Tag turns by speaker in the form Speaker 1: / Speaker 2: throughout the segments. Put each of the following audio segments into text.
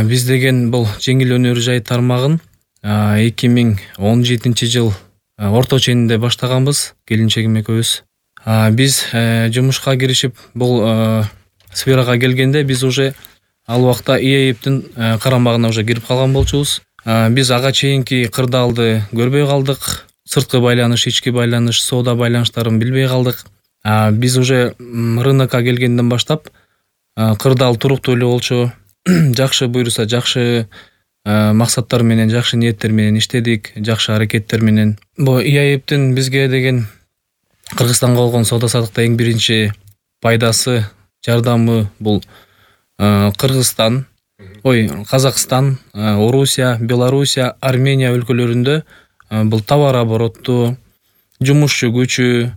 Speaker 1: Биз деген бул жеңил өнөр жай тармагын 2017 жыл орто ченинде баштаганбыз, келинчегим экөөбүз. Биз жумушка киришип бул сферага келгенде биз уже ал убакта ИАЭПтин карамагына уже кирип калган болчубуз. Биз ага чейинки кырдаалды көрбөй калдык. Сырткы байланыш, ички байланыш, соода байланыштарын билбей калдык. Биз уже рынокко келгенден баштап кырдаал туруктуу эле болчу. Жакшы буйруса, жакшы максаттар менен, жакшы ниеттер менен иштедик, жакшы аракеттер менен. Бу ИАЭПтин бизге деген Кыргызстанга болгон соода саттыкта эң биринчи пайдасы, жардамы бул Кыргызстан, Казакстан, Орусия, Белоруссия, Армения өлкөлөрүндө бул товар оборотту, жумушчу күчү,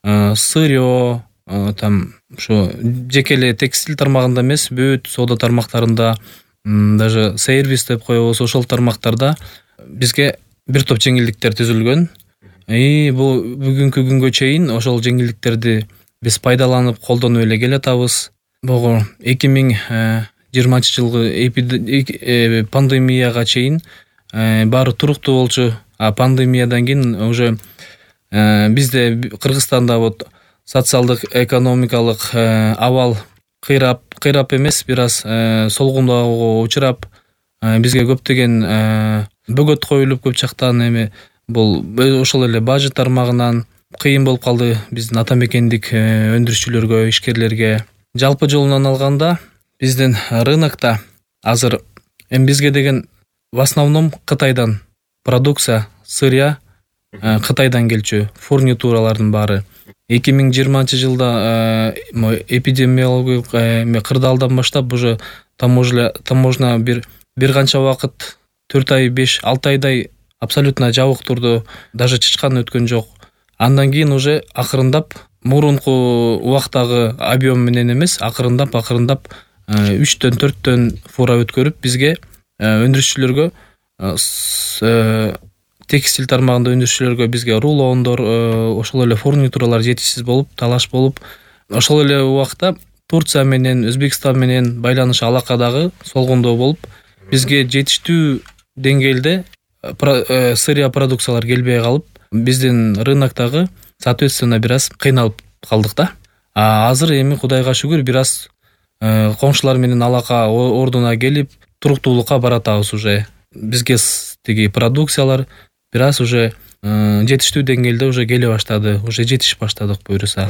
Speaker 1: сырьё, ушу жеке эле текстиль тармагында эмес, бүт соода тармактарында, даже сервис деп коебуз, ошол тармактарда бизге бир топ жеңилдиктер түзүлгөн. Бул бүгүнкү күнгө чейин ошол жеңилдиктерди биз пайдаланып, колдонуп эле келатабыз. Бул 2020 жылгы пандемияга чейин баары туруктуу болчу. Пандемиядан кийин уже бизде Кыргызстанда вот социалдык экономикалык абал кыйрап эмес, бир аз солгундоого учурап, бизге көптөгөн бөгөт коюлуп көп жактан эми бул ошол эле бажы тармагынан кыйын болуп калды биздин ата мекендик өндүрүшчүлөргө, ишкерлерге. Жалпы жолунан алганда биздин рынокто азыр бизге деген в основном Кытайдан продукция, сырья Кытайдан келчү, фурнитуралардын баары. 2020 жылда эпидемиологиялык кырдаалдан баштап уже таможня бир канча убакыт, 4 ай, 5-6 айдай абсолютно жабык турду, даже чычкан өткөн жок. Андан кийин уже акырындап мурунку убактагы объем менен эмес, акырындап 3-төн 4төн фура өткөрүп бизге өндүрүшчүлөргө, текстиль тармагында өндүрүшчүлөргө бизге рулондор, ошол эле фурнитуралар жетишсиз болуп, талаш болуп, ошол эле убакта Турция менен, Өзбекстан менен байланыш алакадагы солгундоо болуп, бизге жетиштүү деңгээлде сырья продукциялар келбей калып, биздин рыноктогы соответственно бир аз кыйналып калдык да. Азыр эми Кудайга шүгүр бир аз коңшулар менен алака ордуна келип, туруктуулукка баратабыз уже. Бизге тиги продукциялар бир аз уже жетиштүү деңгээлде уже келе баштады, уже жетишип баштадык буйруса.